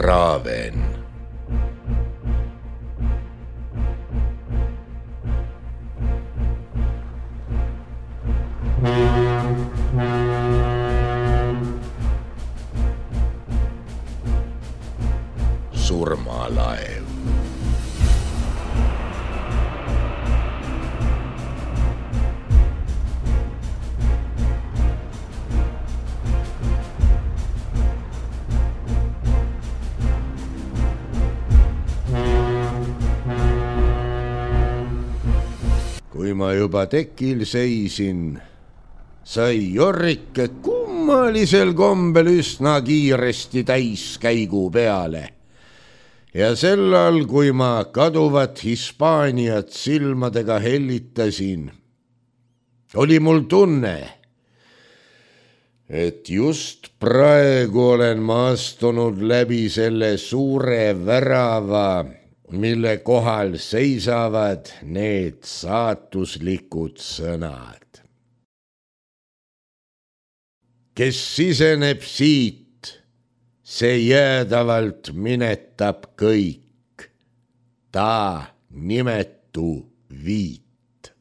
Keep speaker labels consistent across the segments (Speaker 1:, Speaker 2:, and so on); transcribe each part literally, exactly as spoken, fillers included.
Speaker 1: Raven. Surmalaev. Kui ma juba tekil seisin, sai Jorrike kummalisel kombel üsna kiiresti täiskäigu peale. Ja sellal, kui ma kaduvat Hispaaniat silmadega hellitasin, oli mul tunne, et just praegu olen ma astunud läbi selle suure värava, mille kohal seisavad need saatuslikud sõnad. Kes siseneb siit, see jäädavalt minetab kõik, ta nimetu viit.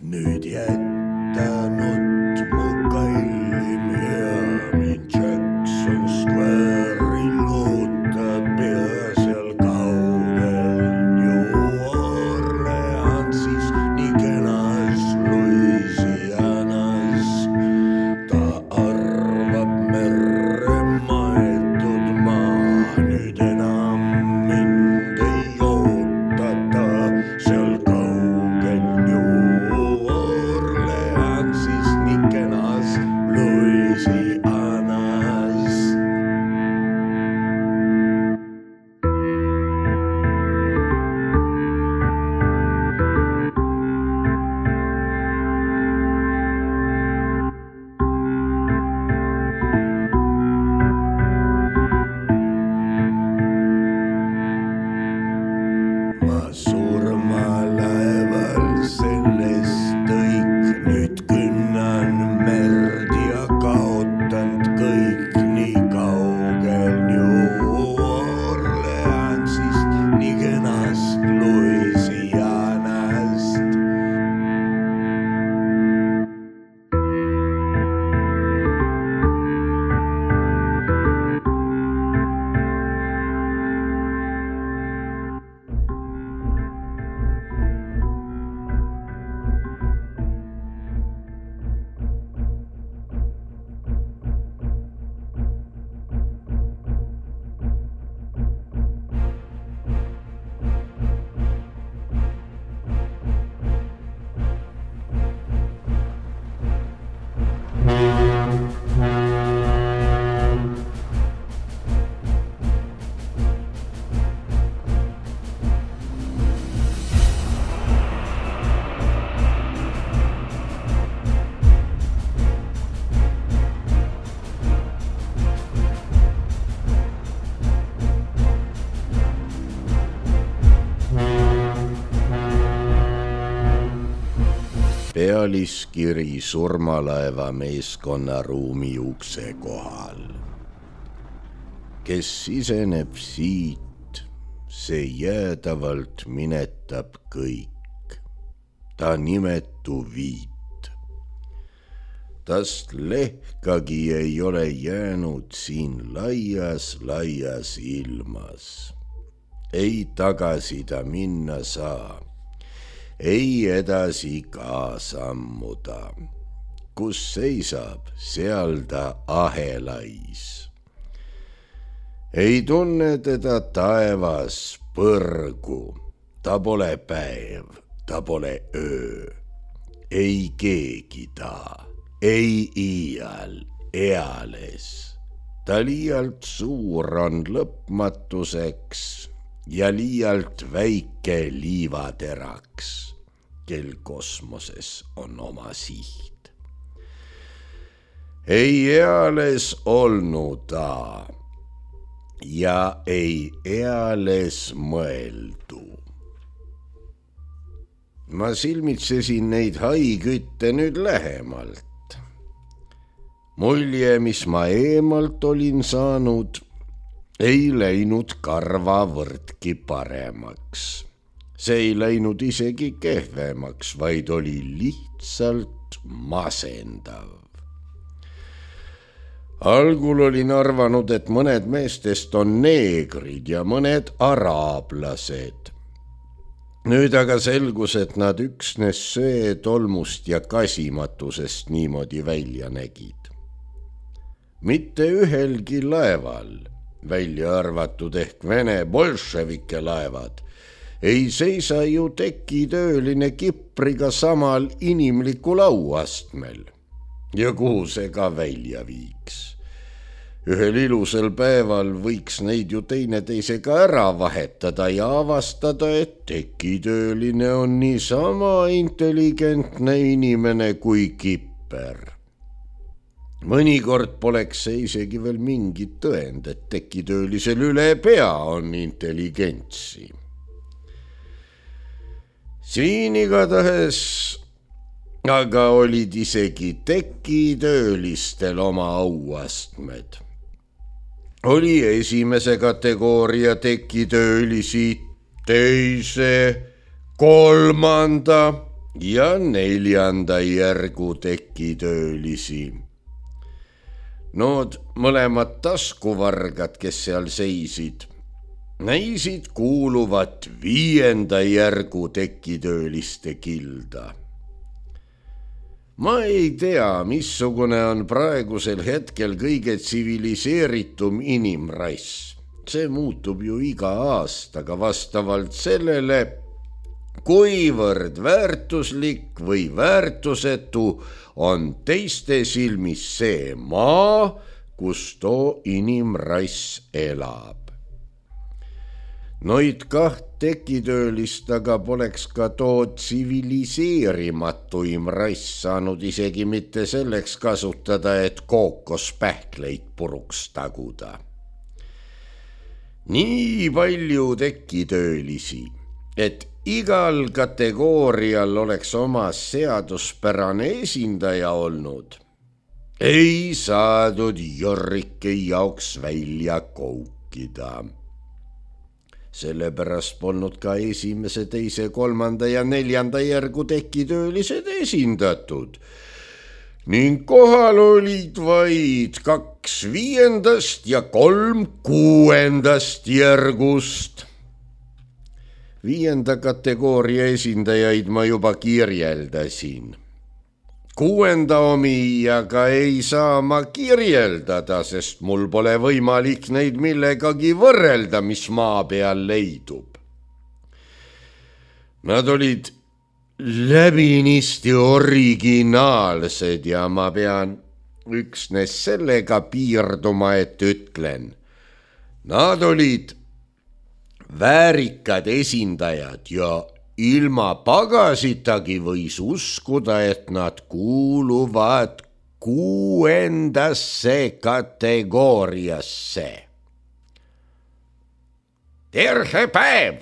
Speaker 1: Nüüd jätta nutt mu kallim hea, mind Jackson Square'il ootab pea seal kaugel New Orleansis, nii kenas Louisianas. Ta arvab merre maetud maa, nüüd enam mind ei oota ta seal kaugel New Orleansis, nii kenas Louisianas. Ma surmalaeval sellest kõik, nüüd künnan merd ja kaotanud kõik, nii kaugel New Orleansist, nii kenast Louisianast. Pealiskiri surmalaeva meeskonna ruumi ukse kohal. Kes siseneb siit, see jäädavalt minetab kõik, ta nimetu viit. Tast lehkagi ei ole jäänud siin laias, laias ilmas. Ei tagasi ta minna saa. Ei edasi ka sammuda, kus seisab, seal ta ahelais. Ei tunne teda taevas põrgu, ta pole päev, ta pole öö. Ei keegi ta, ei iial, eales. Ta liialt suur on lõpmatuseks ja liialt väike liivateraks, kel kosmoses on oma siht. Ei eales olnu ta ja ei eales mõeldu. Ma silmitsesin neid haikütte nüüd lähemalt. Mulje, mis ma eemalt olin saanud, ei läinud karvavõrdki paremaks. See ei läinud isegi kehvemaks, vaid oli lihtsalt masendav. Algul olin arvanud, et mõned meestest on neegrid ja mõned araablased. Nüüd aga selgus, et nad üksnes söe, tolmust ja kasimatusest niimoodi välja nägid. Mitte ühelgi laeval, välja arvatud ehk Vene bolševike laevad, ei seisa ju tekitööline Kipriga samal inimlikul auastmel. Ja kuhu see ka välja viiks? Ühel ilusal päeval võiks neid ju teineteisega ära vahetada ja avastada, et tekitööline on niisama intelligentne inimene kui Kipper. Mõnikord poleks see isegi veel mingit tõend, et tekitöölisel üle pea on intelligentsi. Siin igatahes aga olid isegi tekitöölistel oma auastmed. Oli esimese kategooria tekitöölisi, teise, kolmanda ja neljanda järgu tekitöölisi. Nood mõlemad taskuvargad, kes seal seisid, näisid kuuluvat viienda järgu tekitööliste kilda. Ma ei tea, missugune on praegusel hetkel kõige tsiviliseeritum inimrass. See muutub ju iga aastaga vastavalt sellele, kuivõrd väärtuslik või väärtusetu on teiste silmis see maa, kus too inimrass elab. Noid kaht tekitöölist aga poleks ka too tsiviliseerimatuim rass saanud isegi mitte selleks kasutada, et kookospähkleid puruks taguda. Nii palju tekitöölisi, et igal kategoorial oleks oma seaduspärane esindaja olnud, ei saadud Jorrike jaoks välja koukida. Sellepärast polnud ka esimese, teise, kolmanda ja neljanda järgu tekitöölised esindatud ning kohal olid vaid kaks viiendast ja kolm kuuendast järgust. Viienda kategooria esindajaid ma juba kirjeldasin. Kuuenda omi aga ei saa ma kirjeldada, sest mul pole võimalik neid millegagi võrrelda, mis maa peal leidub. Nad olid läbinisti originaalsed ja ma pean üksnes sellega piirduma, et ütlen. Nad olid väärikad esindajad ja ilma pagasitagi võis uskuda, et nad kuuluvad kuuendasse kategooriasse. Terve päev!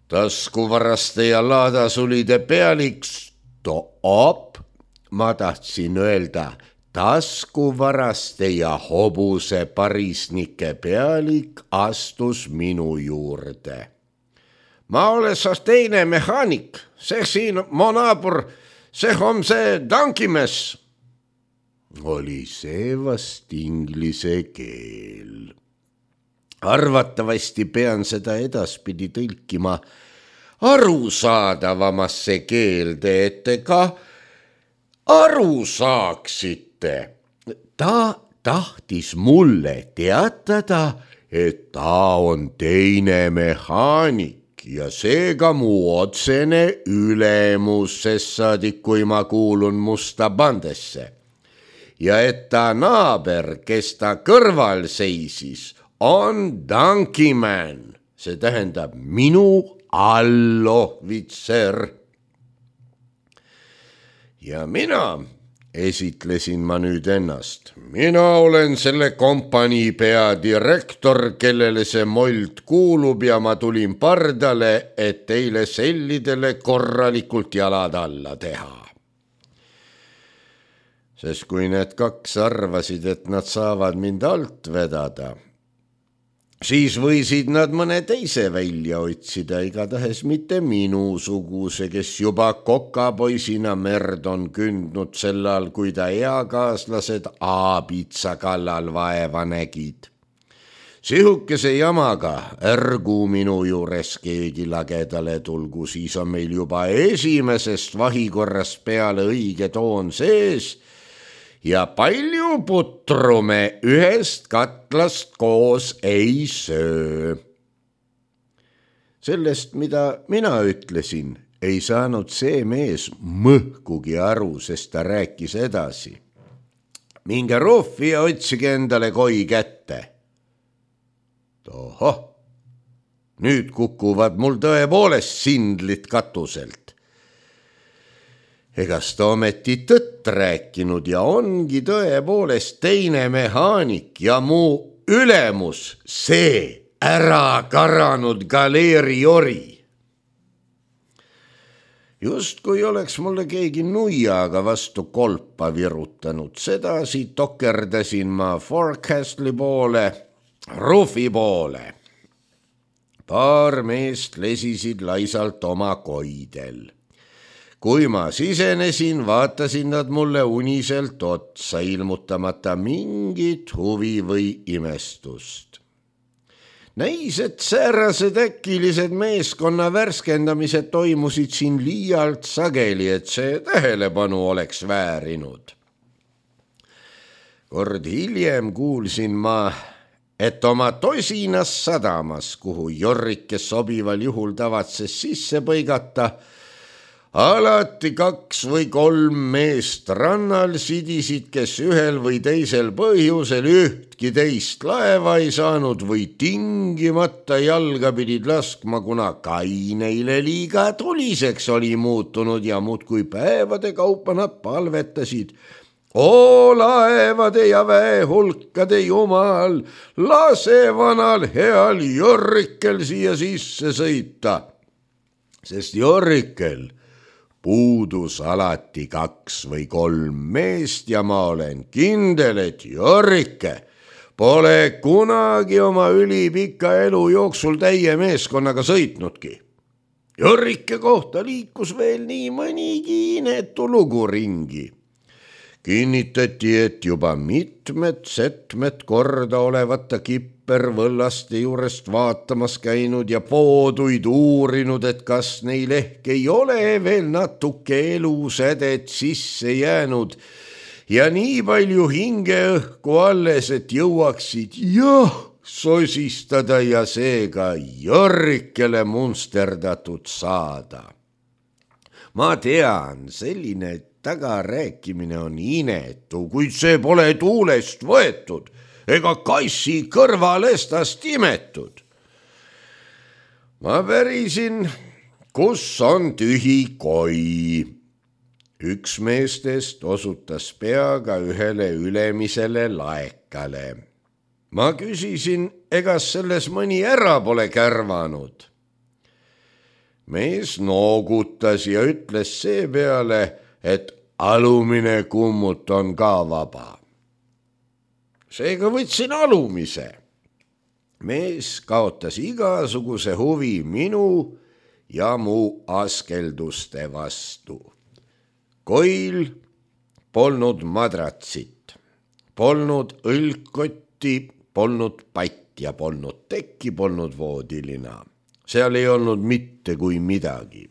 Speaker 1: Taskuvaraste ja laadasulide pealik, stop, ma tahtsin öelda, taskuvaraste ja hobuse parisnike pealik astus minu juurde. Ma olen saas teine mehaanik, see siin mu naabur, see on see tankimees. Oli see vast inglise keel. Arvatavasti pean seda edaspidi tõlkima arusaadavamasse keelde, et te ka aru saaksite. Ta tahtis mulle teatada, et ta on teine mehaanik. Ja seega mu otsene ülemus, sest saadik, kui ma kuulun musta bandesse. Ja et ta naaber, kes ta kõrval seisis, on tankiman, see tähendab minu allohvitser. Ja mina esitlesin ma nüüd ennast. Mina olen selle kompanii peadirektor, kellele see mold kuulub ja ma tulin pardale, et teile sellidele korralikult jalad alla teha. sest kui need kaks arvasid, et nad saavad mind alt vedada, siis võisid nad mõne teise välja otsida, igatahes mitte minusuguse, kes juba kokapoisina merd on kündnud sellal, kui ta eakaaslased aabitsa kallal vaeva nägid. Sihukese jamaga ärgu minu juures keegi lagedale tulgu, siis on meil juba esimesest vahikorrast peale õige toon sees ja palju putru me ühest katlast koos ei söö. Sellest, mida mina ütlesin, ei saanud see mees mõhkugi aru, sest ta rääkis edasi. Minge ruufi ja otsige endale koi kätte. Ohoh, nüüd kukuvad mul tõepoolest sindlid katuselt. Egas ta ometi tõtt rääkinud ja ongi tõepoolest teine mehaanik ja mu ülemus, see ära karanud galeeriori. Just kui oleks mulle keegi nuiaga vastu kolpa virutanud, sedasi tokerdasin ma Forecastli poole, ruufi poole. Paar meest lesisid laisalt oma koidel. Kui ma sisenesin, vaatasin nad mulle uniselt otsa, ilmutamata mingit huvi või imestust. Näis, et säärased äkilised meeskonna värskendamised toimusid siin liialt sageli, et see tähelepanu oleks väärinud. Kord hiljem kuulsin ma, et oma tosinas sadamas, kuhu Jorrike sobival juhul tavatses sisse põigata, alati kaks või kolm meest rannal sidisid, kes ühel või teisel põhjusel ühtki teist laeva ei saanud või tingimata jalga pidid laskma, kuna kai neile liiga tuliseks oli muutunud ja muudkui päevade kaupa nad palvetasid. O laevade ja väehulkade jumal, lase vanal heal Jorrikel siia sisse sõita, sest Jorrikel puudus alati kaks või kolm meest ja ma olen kindel, et Jorrike pole kunagi oma ülipika elu jooksul täie meeskonnaga sõitnudki. Jorrike kohta liikus veel nii mõnigi inetu lugu ringi. Kinnitati, et juba mitmed setmed korda olevata kippervõllaste juurest vaatamas käinud ja pooduid uurinud, et kas neil ehk ei ole veel natuke elusädet sisse jäänud ja nii palju hingeõhku alles, et jõuaksid jah sosistada ja seega Jorrikele munsterdatud saada. Ma tean, selline tagarääkimine on inetu, kuid see pole tuulest võetud ega kassi kõrvalestast imetud. Ma pärisin, kus on tühi koi. Üks meestest osutas peaga ühele ülemisele laekale. Ma küsisin, egas selles mõni ära pole kärvanud. Mees noogutas ja ütles seepeale, et alumine kummut on ka vaba. Seega võtsin alumise. Mees kaotas igasuguse huvi minu ja mu askelduste vastu. Koil polnud madratsit, polnud õlgkotti, polnud patja, polnud tekki, polnud voodilina. Seal ei olnud mitte kui midagi.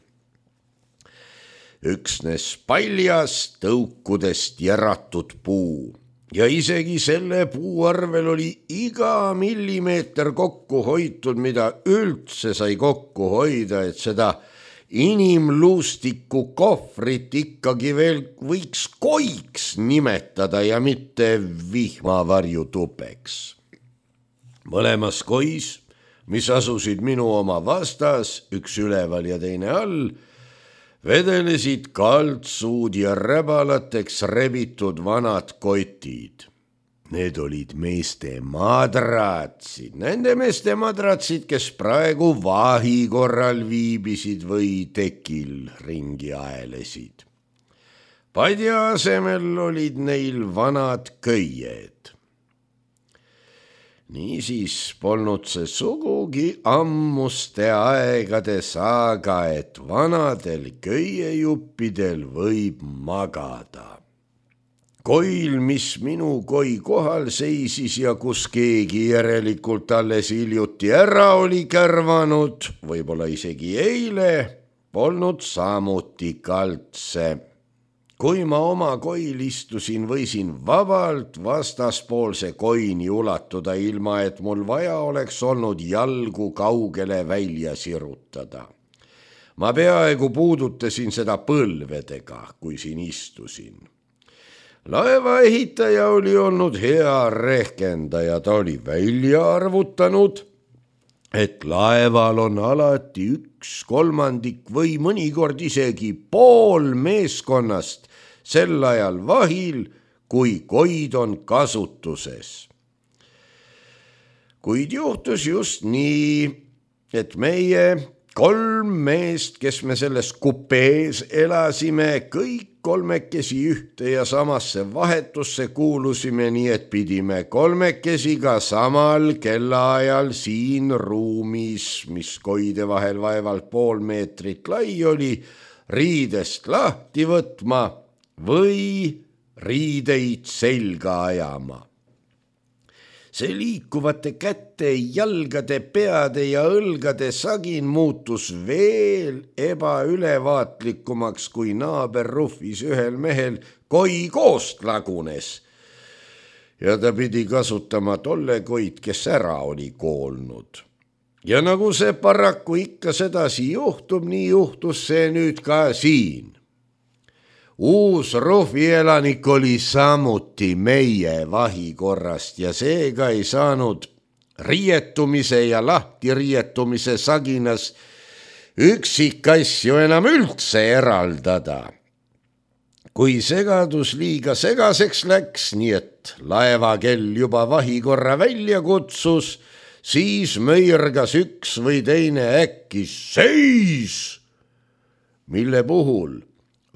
Speaker 1: Üksnes paljas tõukudest järatud puu ja isegi selle puu arvel oli iga millimeeter kokku hoitud, mida üldse sai kokku hoida, et seda inimluustiku kohvrit ikkagi veel võiks koiks nimetada ja mitte vihmavarjutupeks. Mõlemas kois, mis asusid minu oma vastas, üks üleval ja teine all, vedelesid kaltsuud ja räbalateks rebitud vanad kotid. Need olid meeste madratsid, nende meeste madratsid, kes praegu vahi korral viibisid või tekil ringi aelesid. padja asemel olid neil vanad köied. Niisiis polnud see sugugi ammuste aegade saaga, et vanadel köiejuppidel võib magada. Koil, mis minu koi kohal seisis ja kus keegi järelikult alles hiljuti ära oli kärvanud, võib-olla isegi eile, polnud samuti kaltse. Kui ma oma koil istusin, võisin vabalt vastaspoolse koini ulatuda, ilma et mul vaja oleks olnud jalgu kaugele välja sirutada. Ma peaaegu puudutasin seda põlvedega, kui siin istusin. Laevaehitaja oli olnud hea rehkendaja, ta oli välja arvutanud, et laeval on alati üks kolmandik või mõnikord isegi pool meeskonnast sel ajal vahil, kui koid on kasutuses. Kuid juhtus just nii, et meie kolm meest, kes me selles kupees elasime, kõik kolmekesi ühte ja samasse vahetusse kuulusime, nii et pidime kolmekesi ka samal kellaajal siin ruumis, mis koide vahel vaevalt pool meetrit lai oli, riidest lahti võtma või riideid selga ajama. See liikuvate käte, jalgade, peade ja õlgade sagin muutus veel ebaülevaatlikumaks, kui naaber ruhvis ühel mehel koi koost lagunes. Ja ta pidi kasutama tolle koid, kes ära oli koolnud. Ja nagu see paraku ikka sedasi juhtub, nii juhtus see nüüd ka siin. Uus ruhvielanik oli samuti meie vahikorrast ja seega ei saanud riietumise ja lahtiriietumise saginas üksikasju enam üldse eraldada. Kui segadus liiga segaseks läks, nii et laevakell juba vahikorra välja kutsus, siis möirgas üks või teine äkki seis, mille puhul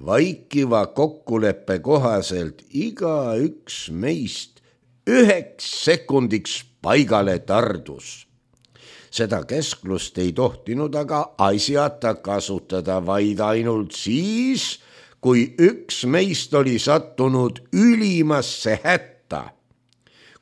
Speaker 1: vaikiva kokkuleppe kohaselt iga üks meist üheks sekundiks paigale tardus. Seda kesklust ei tohtinud aga asjata kasutada, vaid ainult siis, kui üks meist oli sattunud ülimasse hätta.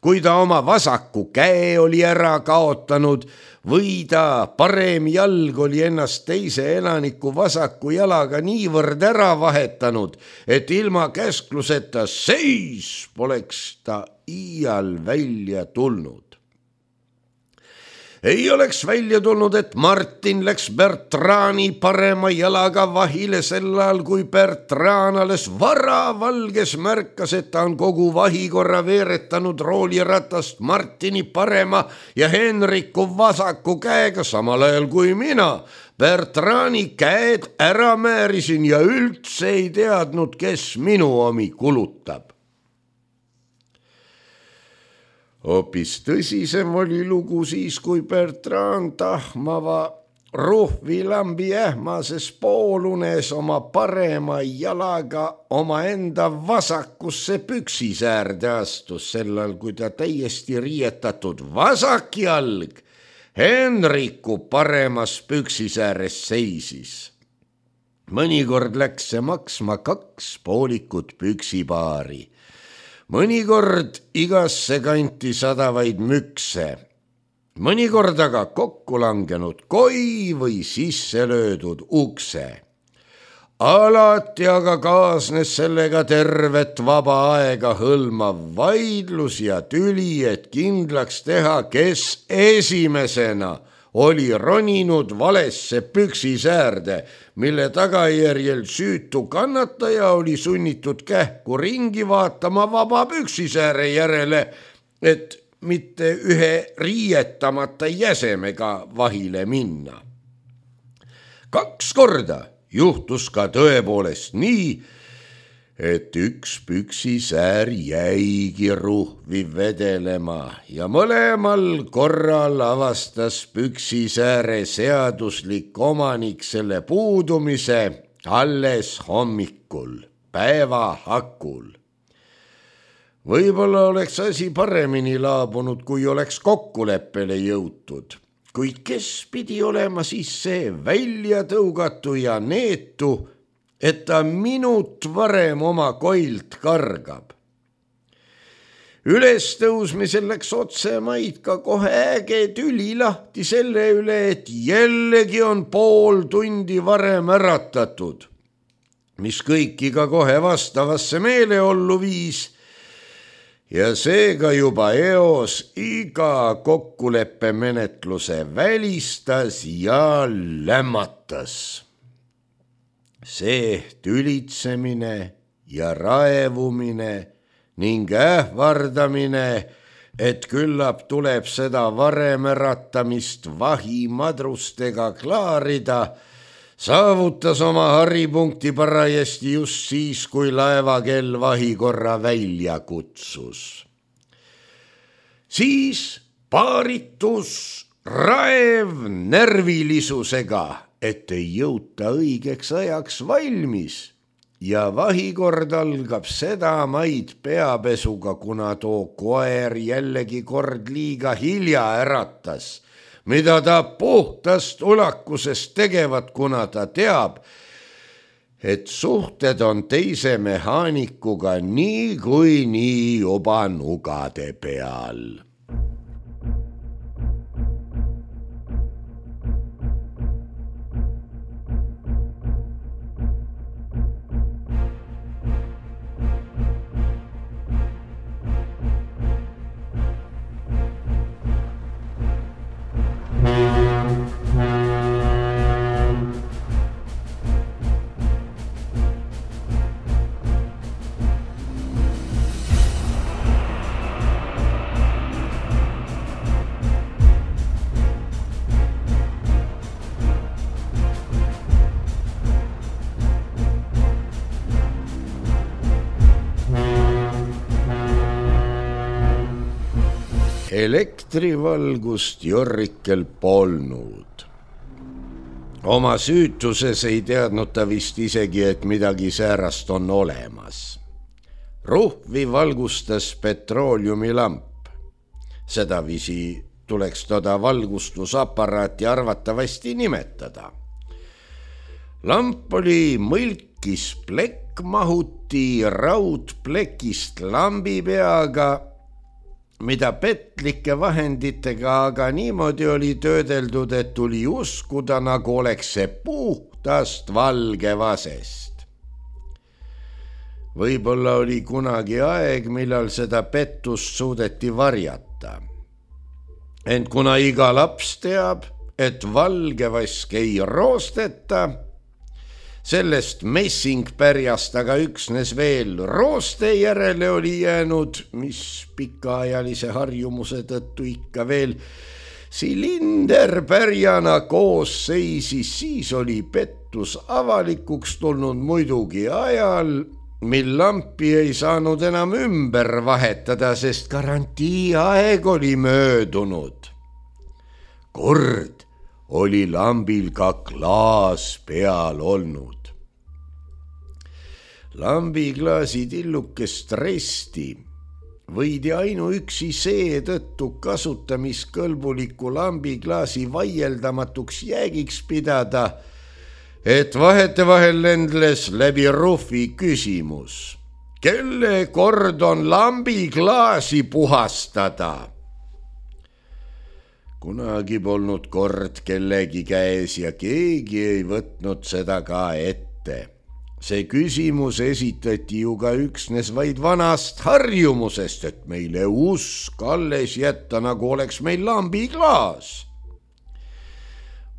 Speaker 1: Kui ta oma vasaku käe oli ära kaotanud või ta parem jalg oli ennast teise elaniku vasaku jalaga niivõrd ära vahetanud, et ilma käskluseta seis poleks ta iial välja tulnud. Ei oleks välja tulnud, et Martin läks Bertrani parema jalaga vahile sel ajal, kui Bertran alles varavalges märkas, et ta on kogu vahikorra veeretanud rooliratast Martini parema ja Henriku vasaku käega, samal ajal kui mina Bertrani käed ära määrisin ja üldse ei teadnud, kes minu omi kulutab. Hoopis tõsisem oli lugu siis, kui Bertrand tahmava ruhvilambi ähmases poolunes oma parema jalaga oma enda vasakusse püksisäärde astus, sellal kui ta täiesti riietatud vasak jalg Henriku paremas püksisääres seisis. Mõnikord läks see maksma kaks poolikut püksipaari. Mõnikord igasse kanti sadavaid mükse, mõnikord aga kokku langenud koi või sisse löödud ukse. Alati aga kaasnes sellega tervet vaba aega hõlmav vaidlus ja tüli, et kindlaks teha, kes esimesena oli roninud valesse püksisäärde, mille tagajärjel süütu kannataja oli sunnitud kähku ringi vaatama vaba püksisääre järele, et mitte ühe riietamata jäsemega vahile minna. Kaks korda juhtus ka tõepoolest nii, et üks püksisäär jäigi ruhvi vedelema ja mõlemal korral avastas püksisääre seaduslik omanik selle puudumise alles hommikul. päeva hakul. Võib-olla oleks asi paremini laabunud, kui oleks kokkuleppele jõutud, kuid kes pidi olema siis see välja tõugatu ja neetu, et ta minut varem oma koilt kargab. Ülestõusmisel läks otse maid ka kohe äge tüli lahti selle üle, et jällegi on pool tundi varem äratatud, mis kõiki ka kohe vastavasse meeleollu viis ja seega juba eos iga kokkuleppemenetluse välistas ja lämmatas. See tülitsemine ja raevumine ning ähvardamine, et küllap tuleb seda varem äratamist vahimadrustega klaarida, saavutas oma haripunkti parajasti just siis, kui laevakell vahikorra välja kutsus. Siis paaritus raev närvilisusega, et ei jõuta õigeks ajaks valmis ja vahikord algab seda maid peapesuga, kuna too koer jällegi kord liiga hilja äratas, mida ta puhtast ulakusest tegevat, kuna ta teab, et suhted on teise mehaanikuga nii kui nii juba nugade peal. Elektrivalgust Jorrikel polnud. Oma süütuses ei teadnud ta vist isegi, et midagi säärast on olemas. Ruhvi valgustas petrooliumilamp. Sedavisi tuleks toda valgustusaparaati arvatavasti nimetada. Lamp oli mõlkis plekk mahuti raudplekist lambi peaga, mida petlike vahenditega aga niimoodi oli töödeldud, et tuli uskuda, nagu oleks see puhtast valgevasest. Võib-olla oli kunagi aeg, millal seda pettust suudeti varjata. Ent kuna iga laps teab, et valgevask ei roosteta, sellest messingpärjast aga üksnes veel rooste järele oli jäänud, mis pikaajalise harjumuse tõttu ikka veel silinderpärjana koos seisis, siis oli pettus avalikuks tulnud muidugi ajal, mil lampi ei saanud enam ümber vahetada, sest garantii aeg oli möödunud. Kord oli lambil ka klaas peal olnud. Lambiklaasi tillukest resti võidi ainuüksi seetõttu kasutamiskõlbuliku lambiklaasi vaieldamatuks jäägiks pidada, et vahetevahel lendles läbi ruhvi küsimus, kelle kord on lambiklaasi puhastada. Kunagi polnud kord kellegi käes ja keegi ei võtnud seda ka ette. See küsimus esitati ju ka üksnes vaid vanast harjumusest, et meile usk alles jätta, nagu oleks meil lambiklaas.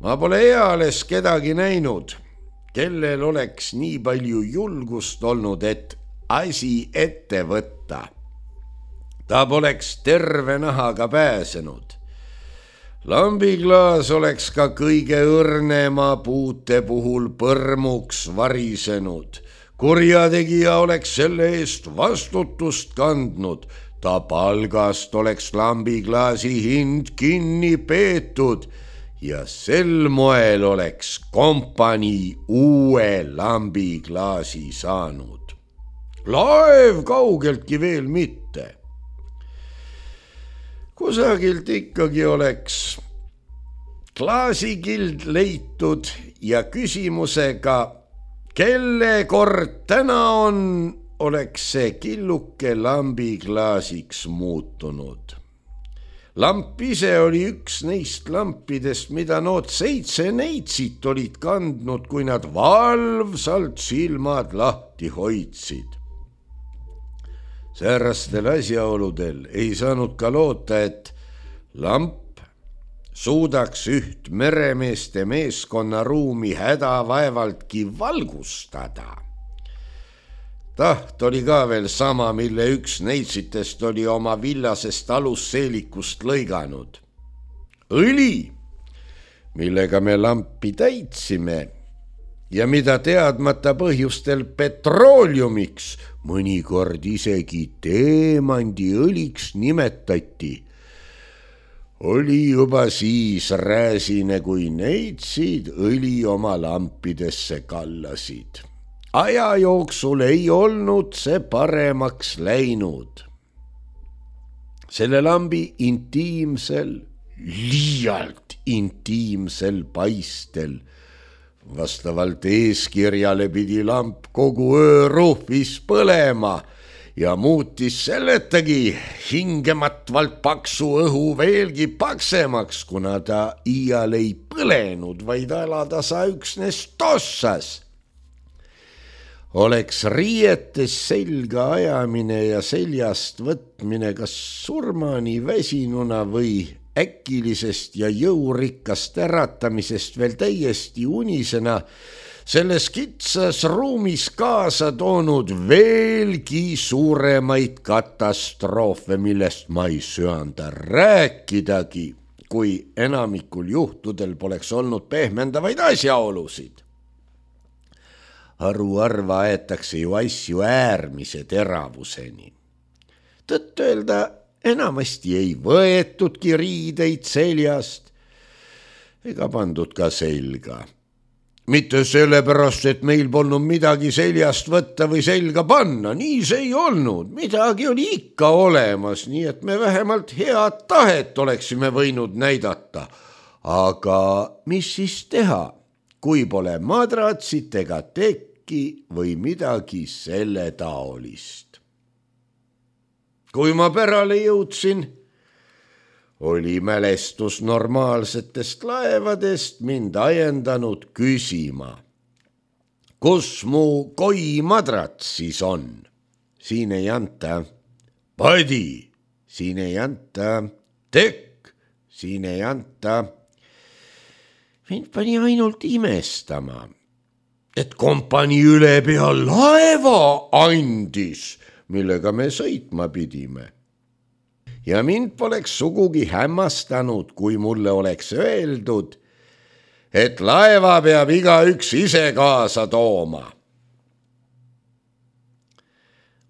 Speaker 1: Ma pole eales kedagi näinud, kellel oleks nii palju julgust olnud, et asi ette võtta. Ta poleks terve nahaga pääsenud. Lambiklaas oleks ka kõige õrnema puute puhul põrmuks varisenud. Kurjategija oleks selle eest vastutust kandnud. Ta palgast oleks lambiklaasi hind kinni peetud ja sel moel oleks kompanii uue lambiklaasi saanud. laev kaugeltki veel mitte. Kusagilt ikkagi oleks klaasikild leitud ja küsimusega, kelle kord täna on, oleks see killuke lambiklaasiks muutunud. Lamp ise oli üks neist lampidest, mida nood seitse neitsit olid kandnud, kui nad valvsalt silmad lahti hoidsid. Säärastel asjaoludel ei saanud ka loota, et lamp suudaks üht meremeeste meeskonna ruumi hädavaevaltki valgustada. Taht oli ka veel sama, mille üks neitsitest oli oma villasest alusseelikust lõiganud. Õli, millega me lampi täitsime ja mida teadmata põhjustel petrooliumiks, mõnikord isegi teemandiõliks nimetati, oli juba siis rääsine, kui neitsid õli oma lampidesse kallasid. Aja jooksul ei olnud see paremaks läinud. Selle lambi intiimsel, liialt intiimsel paistel vastavalt eeskirjale pidi lamp kogu öö ruhvis põlema ja muutis selletagi hingematvalt paksu õhu veelgi paksemaks, kuna ta iial ei põlenud, vaid alatasa üksnes tossas. Oleks riietes selga ajamine ja seljast võtmine kas surmani väsinuna või äkilisest ja jõurikkast äratamisest veel täiesti unisena selles kitsas ruumis kaasa toonud veelgi suuremaid katastroofe, millest ma ei söanda rääkidagi, kui enamikul juhtudel poleks olnud pehmendavaid asjaolusid. Haruharva aetakse ju asju äärmise teravuseni. Tõtt öelda, enamasti ei võetudki riideid seljast ega pandud ka selga. Mitte sellepärast, et meil polnud midagi seljast võtta või selga panna, nii see ei olnud, midagi oli ikka olemas, nii et me vähemalt head tahet oleksime võinud näidata. Aga mis siis teha, kui pole madratsit ega tekki või midagi selle taolist? Kui ma pärale jõudsin, oli mälestus normaalsetest laevadest mind ajendanud küsima, kus mu koimadrats siis on? Siin ei anta. Padi, siin ei anta. Tekk, siin ei anta. Mind pani ainult imestama, et kompanii üle pea laeva andis, millega me sõitma pidime. Ja mind poleks sugugi hämmastanud, kui mulle oleks öeldud, et laeva peab igaüks ise kaasa tooma.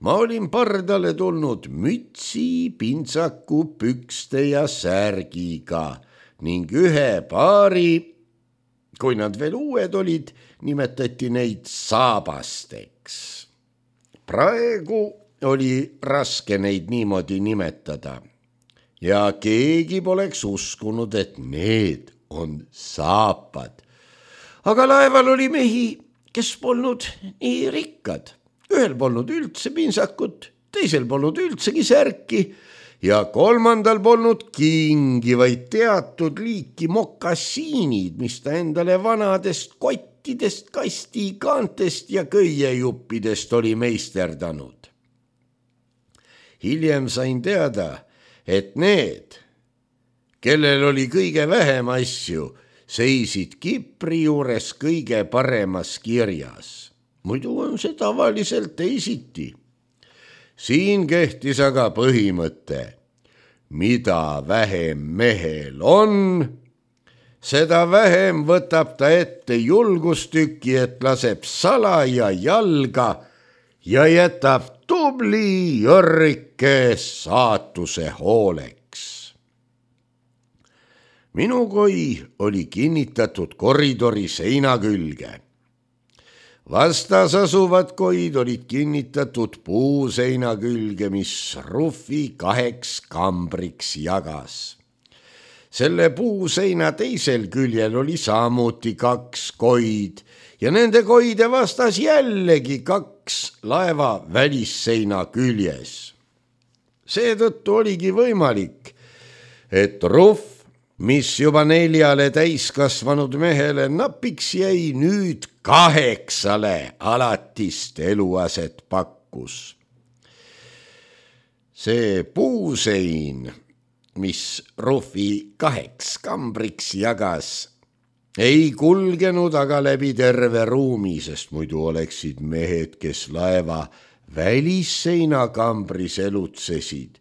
Speaker 1: Ma olin pardale tulnud mütsi, pintsaku, pükste ja särgiga ning ühe paari, kui nad veel uued olid, nimetati neid saabasteks. Praegu oli raske neid niimoodi nimetada ja keegi poleks uskunud, et need on saapad. Aga laeval oli mehi, kes polnud nii rikkad. Ühel polnud üldse pintsakut, teisel polnud üldsegi särki ja kolmandal polnud kingi, vaid teatud liiki mokassiinid, mis ta endale vanadest kottidest, kastikaantest ja köiejuppidest oli meisterdanud. Hiljem sain teada, et need, kellel oli kõige vähem asju, seisid Kipri juures kõige paremas kirjas. Muidu on see tavaliselt teisiti. Siin kehtis aga põhimõte, mida vähem mehel on, seda vähem võtab ta ette julgustükki, et laseb salaja jalga ja jätab tubli jörrike saatuse hooleks. Minu koi oli kinnitatud koridori seina külge. vastas asuvad koid olid kinnitatud puuseina külge, mis Ruffi kaheks kambriks jagas. Selle puuseina teisel küljel oli samuti kaks koid ja nende koide vastas jällegi kaks laeva välisseina küljes. Seetõttu oligi võimalik, et Ruff, mis juba neljale täiskasvanud mehele napiks jäi, nüüd kaheksale alatist eluaset pakkus. See puusein, mis Ruffi kaheks kambriks jagas, ei kulgenud aga läbi terve ruumi, sest muidu oleksid mehed, kes laeva välisseina kambris elutsesid,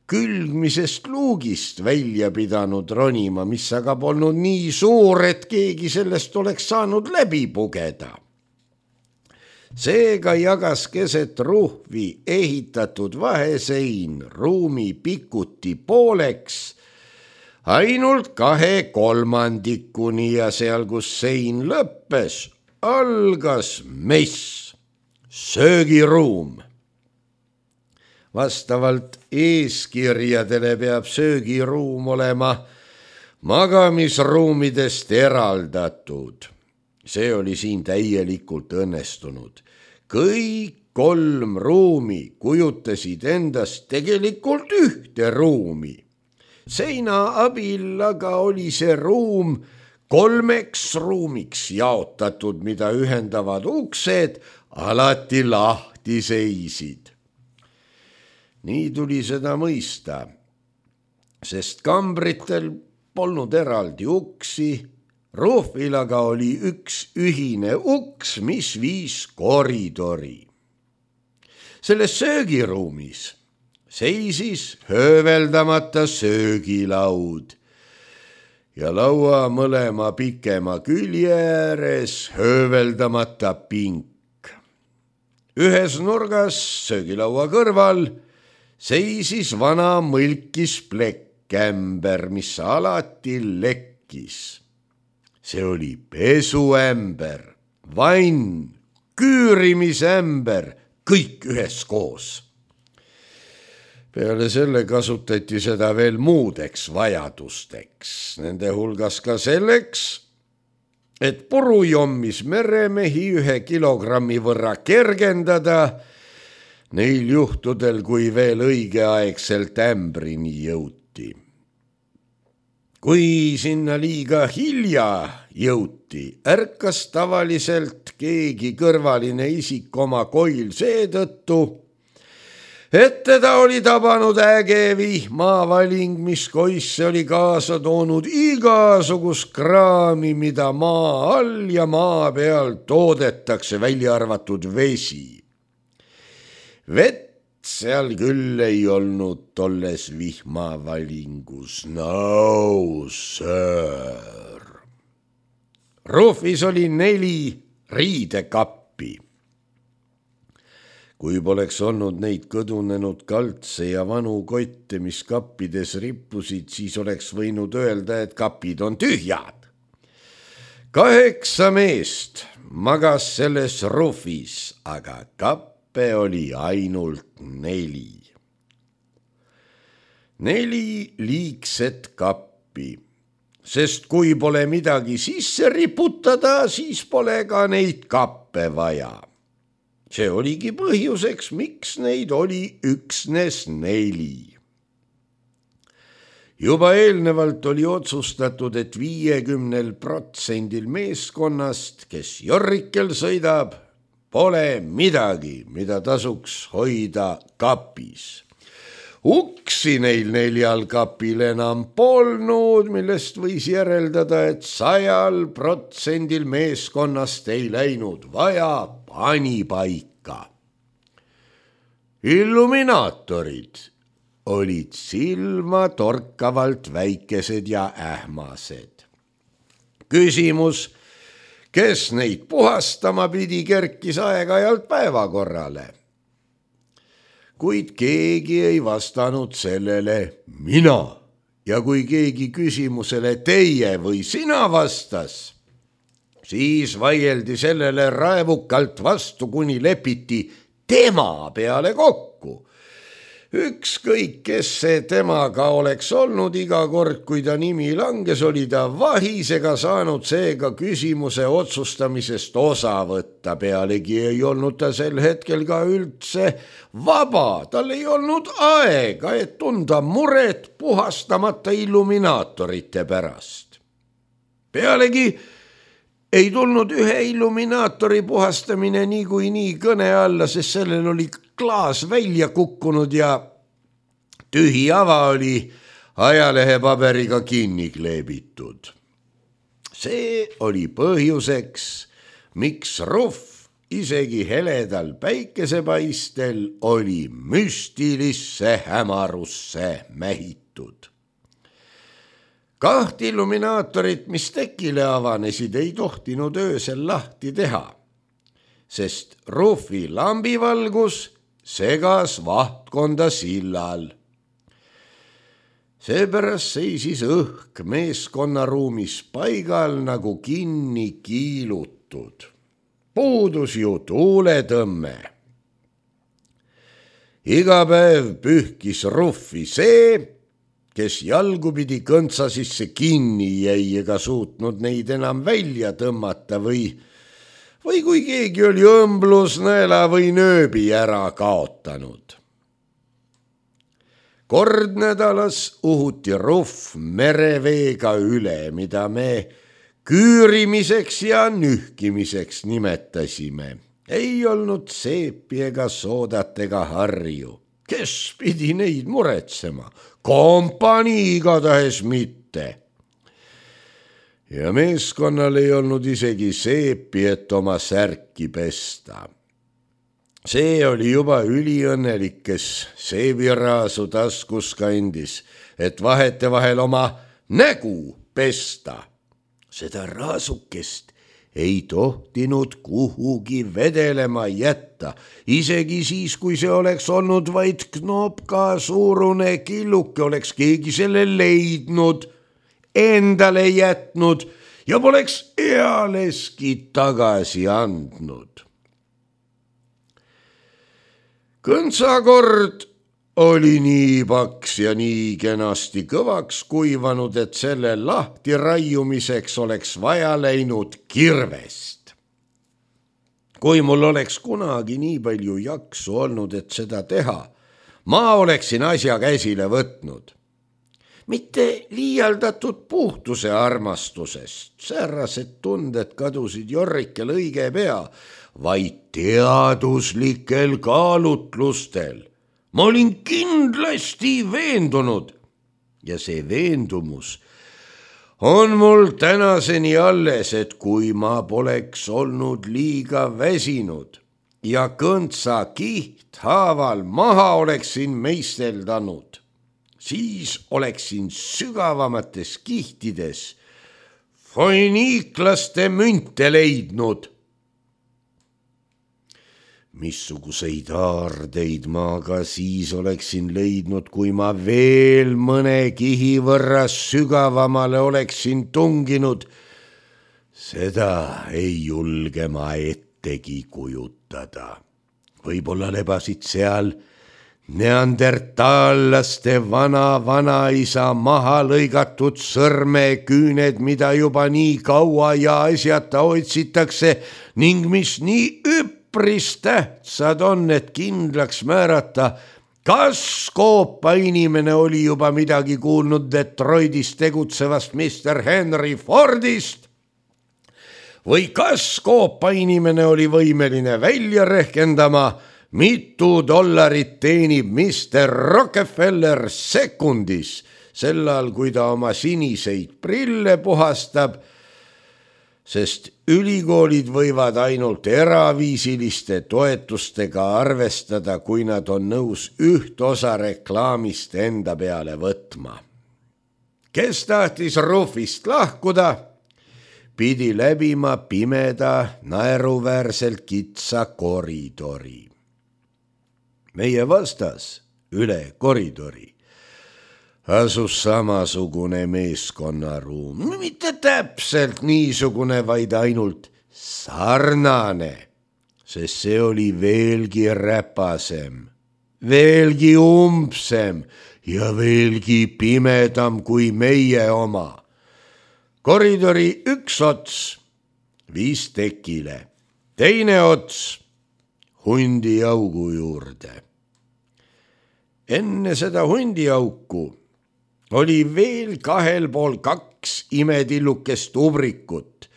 Speaker 1: külgmisest luugist välja pidanud ronima, mis aga polnud nii suur, et keegi sellest oleks saanud läbi pugeda. Seega jagas keset Ruffi ehitatud vahesein ruumi pikuti pooleks ainult kahe kolmandikuni ja seal, kus sein lõppes, algas mess, söögiruum. Vastavalt eeskirjadele peab söögiruum olema magamisruumidest eraldatud. See oli siin täielikult õnnestunud. Kõik kolm ruumi kujutasid endast tegelikult ühte ruumi. Seina abil aga oli see ruum kolmeks ruumiks jaotatud, mida ühendavad uksed alati lahti seisid. Nii tuli seda mõista, sest kambritel polnud eraldi uksi, Ruffil aga oli üks ühine uks, mis viis koridori. Selles söögiruumis seisis hööveldamata söögilaud ja laua mõlema pikema külje ääres hööveldamata pink. Ühes nurgas söögilaua kõrval seisis vana mõlkis plekkämber, mis alati lekkis. See oli pesuämber, vann, küürimisämber, kõik üheskoos. Peale selle kasutati seda veel muudeks vajadusteks, nende hulgas ka selleks, et purujommis meremehi ühe kilogrammi võrra kergendada, neil juhtudel, kui veel õigeaegselt ämbrini jõuti. Kui sinna liiga hilja jõuti, ärkas tavaliselt keegi kõrvaline isik oma koil seetõttu, et teda oli tabanud äge vihmavaling, mis koisse oli kaasa toonud igasugust kraami, mida maa all ja maa peal toodetakse, välja arvatud vesi. Vett seal küll ei olnud tolles vihmavalingus, no sir. Ruffis oli neli riidekappi. Kui poleks olnud neid kõdunenud kaltse ja vanu kotte, mis kappides rippusid, siis oleks võinud öelda, et kapid on tühjad. Kaheksa meest magas selles Ruffis, aga kapp oli ainult neli. Neli liigset kappi, sest kui pole midagi sisse riputada, siis pole ka neid kappe vaja. See oligi põhjuseks, miks neid oli üksnes neli. Juba eelnevalt oli otsustatud, et viiekümnel protsendil meeskonnast, kes jorrikel sõidab, pole midagi, mida tasuks hoida kapis. Uksi neil neljal kapil enam polnud, millest võis järeldada, et sajal protsendil meeskonnast ei läinud vaja panipaika. Illuminaatorid olid silma torkavalt väikesed ja ähmased. Küsimus, kes neid puhastama pidi, kerkis aeg-ajalt päevakorrale. Kuid keegi ei vastanud sellele mina ja kui keegi küsimusele teie või sina vastas, siis vaieldi sellele raevukalt vastu, kuni lepiti tema peale kokku. Ükskõik, kes see temaga oleks olnud, iga kord, kui ta nimi langes, oli ta vahisega saanud seega küsimuse otsustamisest osa võtta. Pealegi ei olnud ta sel hetkel ka üldse vaba, tal ei olnud aega, et tunda muret puhastamata illuminaatorite pärast. Pealegi ei tulnud ühe illuminaatori puhastamine niikuinii kõne alla, sest sellel oli klaas välja kukkunud ja tühi ava oli ajalehepaberiga kinni kleebitud. See oli põhjuseks, miks Ruff isegi heledal päikesepaistel oli müstilisse hämarusse mähitud. Kaht illuminaatorit, mis tekile avanesid, ei tohtinud öösel lahti teha, sest Ruffi lambivalgus segas vahtkonda sillal. Seepärast seisis õhk meeskonnaruumis paigal nagu kinni kiilutud. Puudus ju tuuletõmme. Iga päev pühkis Ruffi see, kes jalgupidi kõntsa sisse kinni jäi ega suutnud neid enam välja tõmmata või või kui keegi oli õmblusnõela või nööbi ära kaotanud. Kord nädalas uhuti Ruff mereveega üle, mida me küürimiseks ja nühkimiseks nimetasime. Ei olnud seepi ega soodat ega harju. Kes pidi neid muretsema? Kompanii igatahes mitte. Ja meeskonnal ei olnud isegi seepi, et oma särki pesta. See oli juba üliõnnelik, kes seebiraasu taskus kandis, et vahetevahel oma nägu pesta. Seda raasukest ei tohtinud kuhugi vedelema jätta, isegi siis, kui see oleks olnud vaid knopka suurune killuke, oleks keegi selle leidnud, endale jätnud ja poleks ealeski tagasi andnud. Kõntsakord oli nii paks ja nii kenasti kõvaks kuivanud, et selle lahti raiumiseks oleks vaja läinud kirvest. Kui mul oleks kunagi nii palju jaksu olnud, et seda teha, ma oleksin asja käsile võtnud. Mitte liialdatud puhtuse armastusest, säärased tunded kadusid Jorrikel õige pea, vaid teaduslikel kaalutlustel. Ma olin kindlasti veendunud ja see veendumus on mul tänaseni alles, et kui ma poleks olnud liiga väsinud ja kõntsa kihthaaval maha oleksin meisteldanud, siis oleksin sügavamates kihtides foiniiklaste münte leidnud. Missuguseid aardeid ma ka siis oleksin leidnud, kui ma veel mõne kihi võrra sügavamale oleksin tunginud. Seda ei julge ma ettegi kujutada. Võib-olla lebasid seal neandertaallaste vana-vanaisa maha lõigatud sõrmeküüned, mida juba nii kaua ja asjata otsitakse ning mis nii üpp Pris tähtsad on, et kindlaks määrata, kas Koopa inimene oli juba midagi kuulnud Detroitis tegutsevast mister Henry Fordist või kas Koopa inimene oli võimeline välja rehkendama, mitu dollarit teenib mister Rockefeller sekundis, sellal kui ta oma siniseid prille puhastab, sest ülikoolid võivad ainult eraviisiliste toetustega arvestada, kui nad on nõus üht osa reklaamist enda peale võtma. Kes tahtis Ruffist lahkuda, pidi läbima pimeda, naeruväärselt kitsa koridori. Meie vastas üle koridori asus samasugune meeskonnaruum, mitte täpselt niisugune, vaid ainult sarnane, sest see oli veelgi räpasem, veelgi umbsem ja veelgi pimedam kui meie oma. Koridori üks ots viis tekile, teine ots hundiaugu juurde. Enne seda hundiauku oli veel kahel pool kaks imetillukest ubrikut,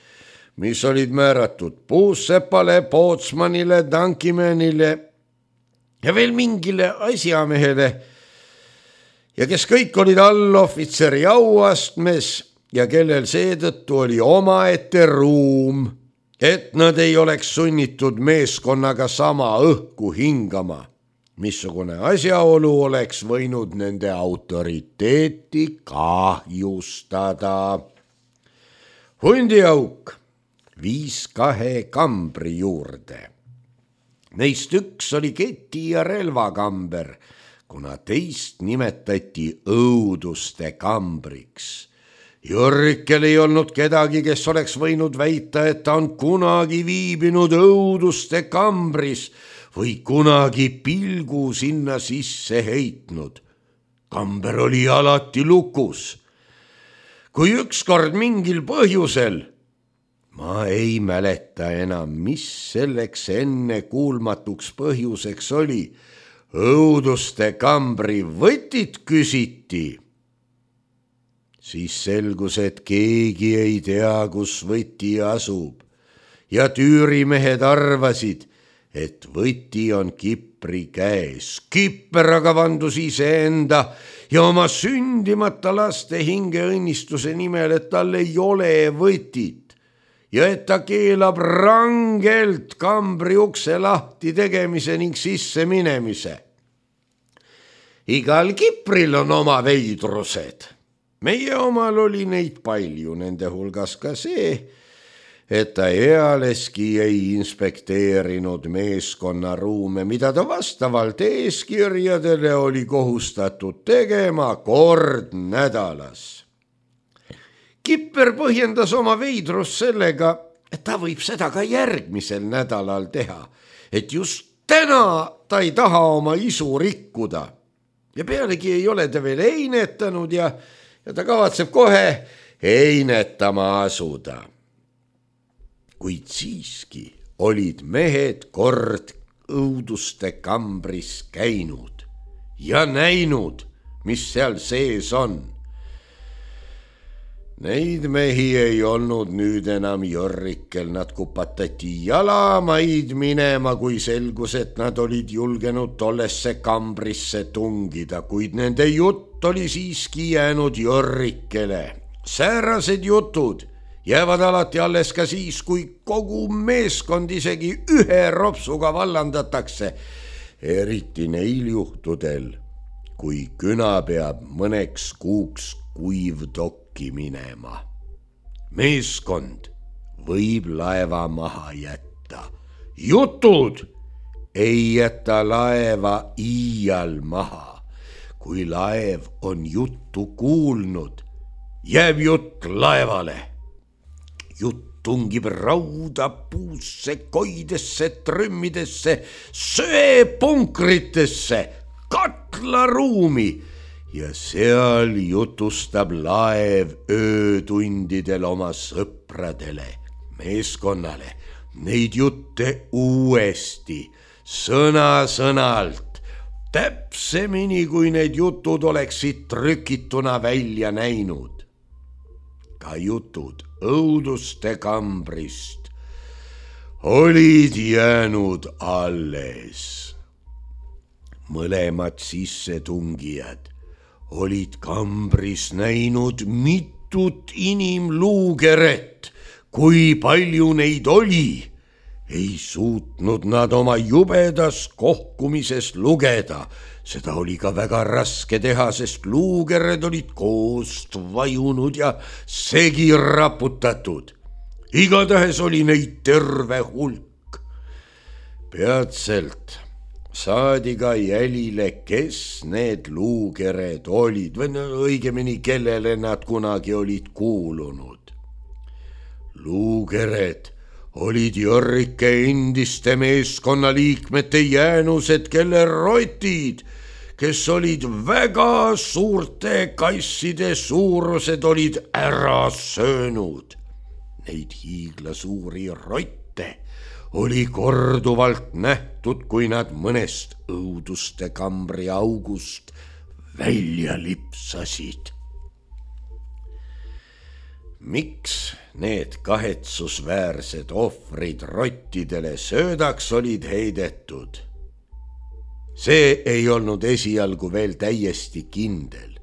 Speaker 1: mis olid määratud Puussepale, Pootsmanile, Tankimänile ja veel mingile asjamehele ja kes kõik olid allohvitseri auastmes ja kellel seetõttu oli omaette ruum, et nad ei oleks sunnitud meeskonnaga sama õhku hingama, missugune asjaolu oleks võinud nende autoriteeti kahjustada. Hundiauk viis kahe kambri juurde. Neist üks oli keti- ja relvakamber, kuna teist nimetati õuduste kambriks. Jörrikel ei olnud kedagi, kes oleks võinud väita, et ta on kunagi viibinud õuduste kambris või kunagi pilgu sinna sisse heitnud. Kamber oli alati lukus. Kui ükskord mingil põhjusel, ma ei mäleta enam, mis selleks enne kuulmatuks põhjuseks oli, õuduste kambri võtit küsiti, siis selgus, et keegi ei tea, kus võti asub ja tüürimehed arvasid, et võti on Kipri käes. Kipper aga vandus iseenda ja oma sündimata laste hingeõnnistuse nimel, et tal ei ole võtit ja et ta keelab rangelt kambri ukse lahti tegemise ning sisse minemise. Igal Kipril on oma veidrused. Meie omal oli neid palju, nende hulgas ka see, et ta ealeski ei inspekteerinud meeskonnaruume, mida ta vastavalt eeskirjadele oli kohustatud tegema kord nädalas. Kipper põhjendas oma veidrust sellega, et ta võib seda ka järgmisel nädalal teha, et just täna ta ei taha oma isu rikkuda ja pealegi ei ole ta veel einetanud ja ja ta kavatseb kohe einetama asuda. Kuid siiski olid mehed kord õuduste kambris käinud ja näinud, mis seal sees on. Neid mehi ei olnud nüüd enam Jörrikel, nad kupatati jalamaid minema, kui selgus, et nad olid julgenud tollesse kambrisse tungida, kuid nende jutt oli siiski jäänud Jörrikele. Säärased jutud jäävad alati alles ka siis, kui kogu meeskond isegi ühe ropsuga vallandatakse, eriti neil juhtudel, kui küna peab mõneks kuuks kuivdokki minema. Meeskond võib laeva maha jätta. Jutud ei jäta laeva iial maha. Kui laev on juttu kuulnud, jääb jutt laevale. Jutt tungib rauda, puusse, koidesse, trümmidesse, söepunkritesse, katlaruumi ja seal jutustab laev öötundidel oma sõpradele, meeskonnale, neid jutte uuesti, sõna-sõnalt, täpsemini, kui need jutud oleksid trükituna välja näinud. Ka jutud õuduste kambrist olid jäänud alles. Mõlemad sissetungijad olid kambris näinud mitut inimluugeret, kui palju neid oli. Ei suutnud nad oma jubedas kohkumises lugeda. Seda oli ka väga raske teha, sest luukered olid koost vajunud ja segi raputatud. Igatahes oli neid terve hulk. Peatselt saadi ka jälile, kes need luukered olid või no, õigemini, kellele nad kunagi olid kuulunud. Luukered olid Jorrike endiste meeskonnaliikmete jäänused, kelle rotid, kes olid väga suurte kasside suurused, olid ära söönud. Neid hiiglasuuri rotte oli korduvalt nähtud, kui nad mõnest õuduste kambri august välja lipsasid. Miks need kahetsusväärsed ohvrid rottidele söödaks olid heidetud? See ei olnud esialgu veel täiesti kindel.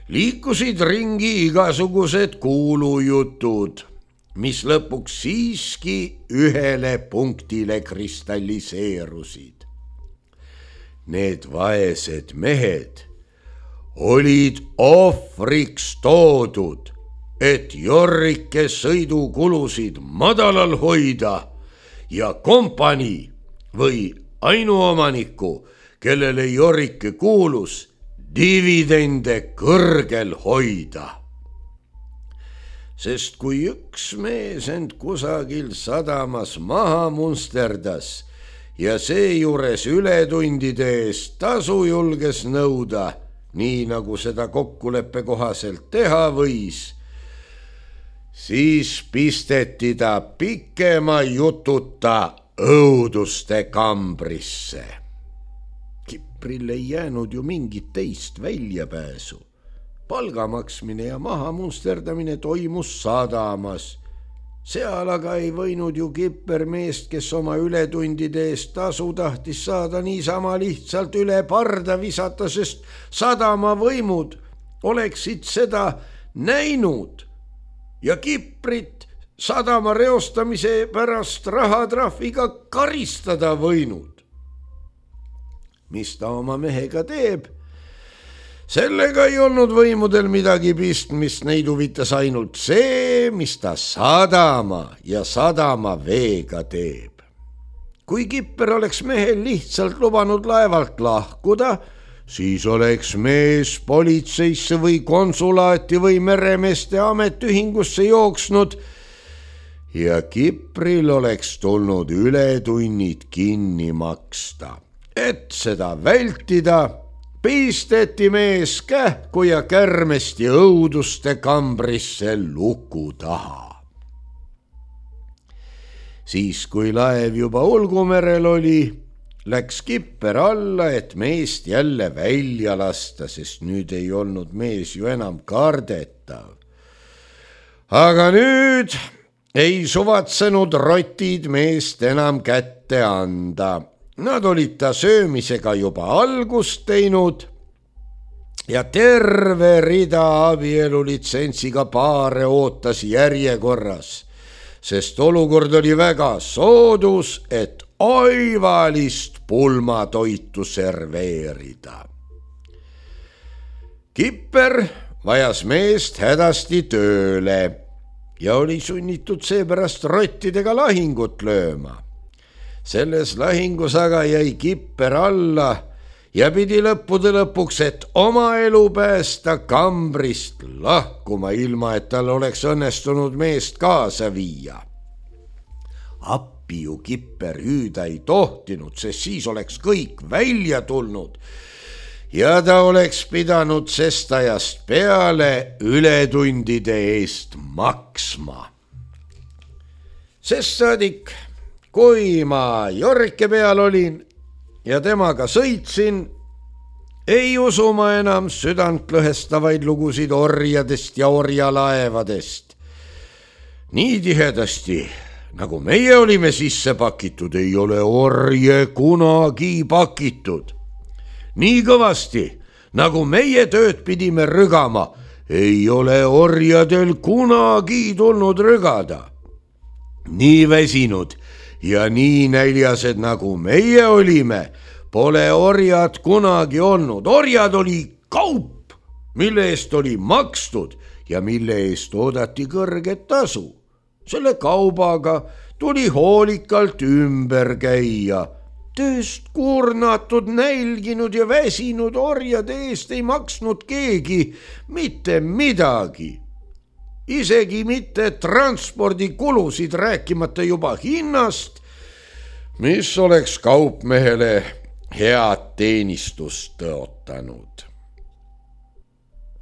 Speaker 1: Liikusid ringi igasugused kuulujutud, mis lõpuks siiski ühele punktile kristalliseerusid. Need vaesed mehed olid ohvriks toodud, et Jorrike sõidukulusid madalal hoida ja kompanii või ainuomaniku, kellele Jorrike kuulus, dividende kõrgel hoida. Sest kui üks mees end kusagil sadamas maha munsterdas ja seejuures ületundide eest tasu julges nõuda, nii nagu seda kokkuleppe kohaselt teha võis, siis pisteti ta pikema jututa õuduste kambrisse. Kipril ei jäänud ju mingit teist väljapääsu. Palga maksmine ja maha munsterdamine toimus sadamas. Seal aga ei võinud ju Kipper meest, kes oma ületundide eest tasu tahtis saada, niisama lihtsalt üle parda visata, sest sadama võimud oleksid seda näinud ja Kiprit sadama reostamise pärast rahatrahviga karistada võinud. Mis ta oma mehega teeb? Sellega ei olnud võimudel midagi pistmist, neid huvitas ainult see, mis ta sadama ja sadama veega teeb. Kui Kipper oleks mehel lihtsalt lubanud laevalt lahkuda, siis oleks mees politseisse või konsulaati või meremeeste ametiühingusse jooksnud ja Kipril oleks tulnud ületunnid kinni maksta. Et seda vältida, pisteti mees kähku ja kärmesti õuduste kambrisse luku taha. Siis, kui laev juba Ulgumerel oli, läks Kipper alla, et meest jälle välja lasta, sest nüüd ei olnud mees ju enam kardetav. Aga nüüd ei suvatsenud rotid meest enam kätte anda. Nad olid ta söömisega juba algust teinud ja terve rida abielulitsentsiga paare ootas järjekorras, sest olukord oli väga soodus, et oivalist pulmatoitu serveerida. Kipper vajas meest hädasti tööle ja oli sunnitud seepärast rottidega lahingut lööma. Selles lahingus aga jäi Kipper alla ja pidi lõppude lõpuks, et oma elu päästa, kambrist lahkuma, ilma et tal oleks õnnestunud meest kaasa viia. Appi ju Kipper hüüda ei tohtinud, sest siis oleks kõik välja tulnud ja ta oleks pidanud sest ajast peale ületundide eest maksma. Sest saadik, kui ma Jorrike peal olin ja temaga sõitsin, ei usu ma enam südantlõhestavaid lugusid orjadest ja orjalaevadest. Nii tihedasti, nagu meie olime sisse pakitud, ei ole orje kunagi pakitud. Nii kõvasti, nagu meie tööd pidime rügama, ei ole orjadel kunagi tulnud rügada. Nii väsinud ja nii näljased, nagu meie olime, pole orjad kunagi olnud. Orjad oli kaup, mille eest oli makstud ja mille eest oodati kõrget tasu. Selle kaubaga tuli hoolikalt ümber käia tööst kurnatud, nälginud ja väsinud orjade eest ei maksnud keegi mitte midagi. Isegi mitte transpordikulusid, rääkimata juba hinnast, mis oleks kaupmehele head teenistust tõotanud.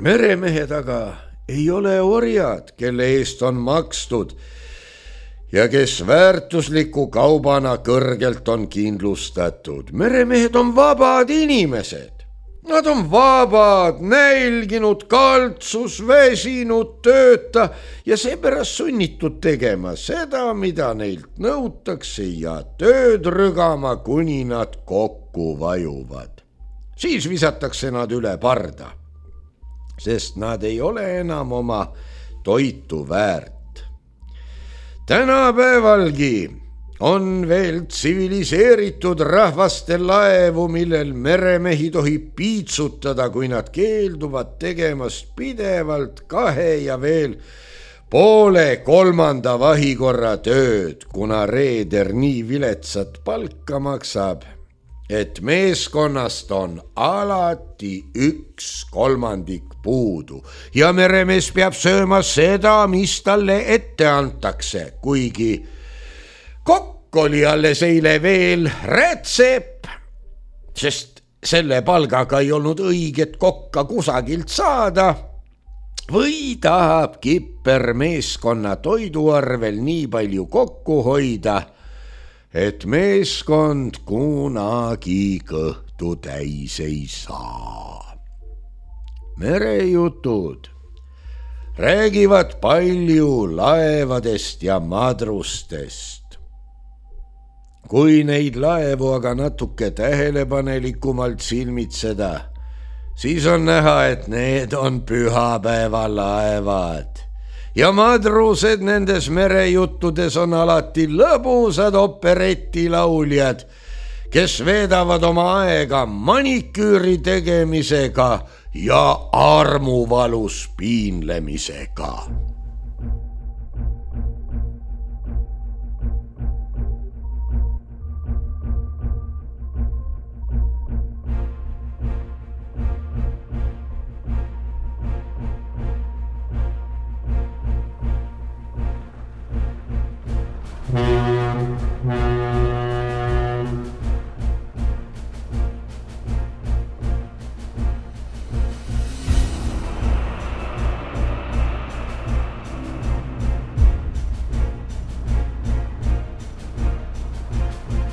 Speaker 1: Meremehed aga ei ole orjad, kelle eest on makstud ja kes väärtusliku kaubana kõrgelt on kindlustatud. Meremehed on vabad inimesed. Nad on vabad, nälginud, kaltsus, väsinud, tööta ja seepärast sunnitud tegema seda, mida neilt nõutakse ja tööd rügama, kuni nad kokku vajuvad. Siis visatakse nad üle parda, sest nad ei ole enam oma toitu väärt. Tänapäevalgi on veel tsiviliseeritud rahvaste laevu, millel meremehi tohib piitsutada, kui nad keelduvad tegemast pidevalt kahe ja veel poole kolmanda vahikorra tööd, kuna reeder nii viletsat palka maksab, et meeskonnast on alati üks kolmandik puudu ja meremees peab sööma seda, mis talle ette antakse, kuigi kokk oli alles eile veel rätsep, sest selle palgaga ei olnud õiget kokka kusagilt saada, või tahab kipper meeskonna toiduarvel nii palju kokku hoida, et meeskond kunagi kõhtu täis ei saa. Merejutud räägivad palju laevadest ja madrustest. Kui neid laevu aga natuke tähelepanelikumalt silmitseda, siis on näha, et need on pühapäevalaevad. Ja madrused nendes merejuttudes on alati lõbusad operetilauljad, kes veedavad oma aega maniküüri tegemisega ja armuvalus piinlemisega.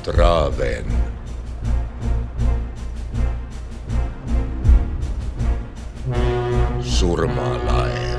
Speaker 1: Traven. Surmalaev.